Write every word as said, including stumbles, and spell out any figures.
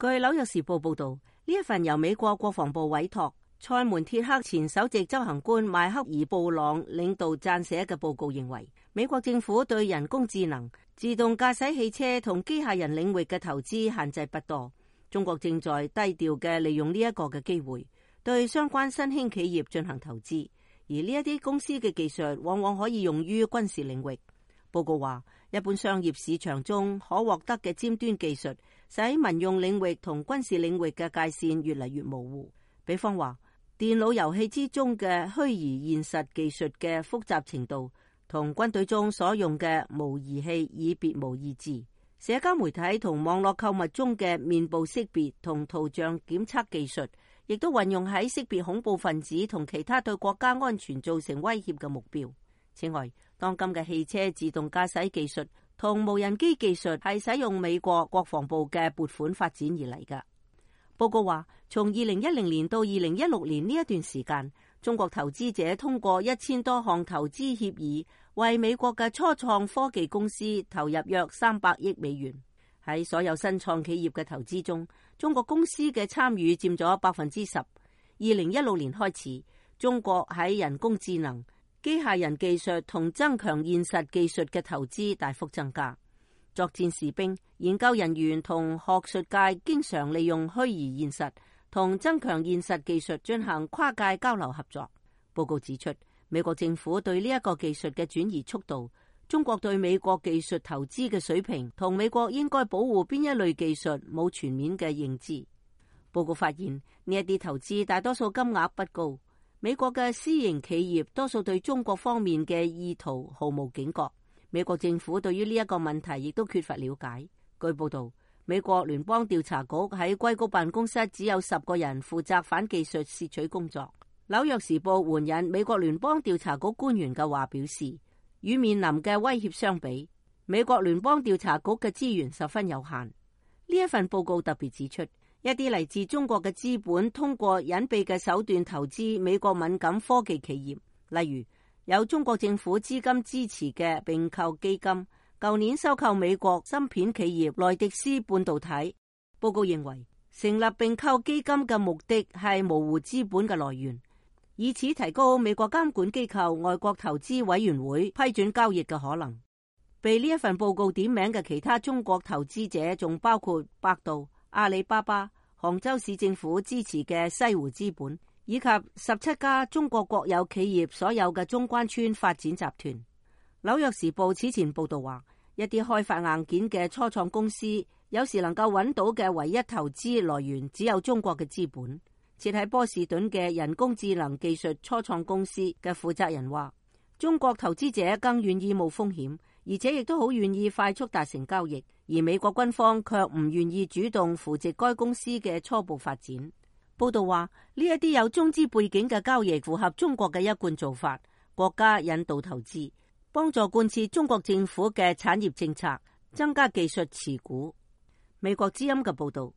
據紐約時報報道，呢一份由美國國防部委託塞門鐵克前首席執行官邁克爾布朗領導撰寫嘅報告認為，美國政府對人工智能、自動駕駛汽車同機械人領域嘅投資限制不多。中國正在低調嘅利用呢一個嘅機會，對相關新興企業進行投資，而呢一啲公司嘅技術往往可以用於軍事領域。報告話，一般商業市場中可獲得嘅尖端技術，使民用領域同軍事領域嘅界線越嚟越模糊。比方話，電腦遊戲之中嘅虛擬現實技術嘅複雜程度，同軍隊中所用嘅模擬器以別無二致。社交媒體同網絡購物中嘅面部識別同圖像檢測技術，亦都運用喺識別恐怖分子同其他對國家安全造成威脅嘅目標。此外，當今嘅汽車自動駕駛技術同無人機技術係使用美國國防部嘅撥款發展而嚟㗎。報告話，從二零一零年到二零一六年呢一段時間，中國投資者通過一千多項投資協議，為美國嘅初創科技公司投入約三百億美元。喺所有新創企業嘅投資中，中國公司嘅參與佔咗百分之十。二零一六年開始，中國喺人工智能、機械人技術同增強現實技術嘅投資大幅增加。作戰士兵、研究人員同學術界經常利用虛擬現實同增強現實技術進行跨界交流合作。報告指出，美國政府對呢一個技術嘅轉移速度、中國對美國技術投資嘅水平同美國應該保護邊一類技術冇全面嘅認知。報告發現，呢一啲投資大多數金額不高，美國嘅私營企業多數對中國方面嘅意圖毫無警覺。美國政府對於呢一個問題亦都缺乏了解。據報道，美國聯邦調查局喺硅谷辦公室只有十個人負責反技術竊取工作。紐約時報援引美國聯邦調查局官員嘅話表示，與面臨嘅威脅相比，美國聯邦調查局嘅資源十分有限。呢一份報告特別指出，一啲嚟自中國嘅資本通過隱蔽嘅手段投資美國敏感科技企業，例如有中國政府資金支持嘅併購基金，舊年收購美國芯片企業萊迪斯半導體。報告認為，成立併購基金嘅目的係模糊資本嘅來源，以此提高美國監管機構外國投資委員會批准交易嘅可能。被呢一份報告點名嘅其他中國投資者仲包括百度、阿里巴巴、杭州市政府支持嘅西湖資本，以及十七家中國國有企業所有嘅中關村發展集團。紐約時報此前報道話，一啲開發硬件嘅初創公司有時能夠揾到嘅唯一投資來源只有中國嘅資本。設喺波士頓嘅人工智能技術初創公司嘅負責人話，中國投資者更願意冒風險，而且亦都好願意快速達成交易，而美國軍方卻唔願意主動扶植該公司嘅初步發展。報道話，呢一啲有中資背景嘅交易符合中國嘅一貫做法，國家引導投資，幫助貫徹中國政府嘅產業政策，增加技術持股。美國之音嘅報道。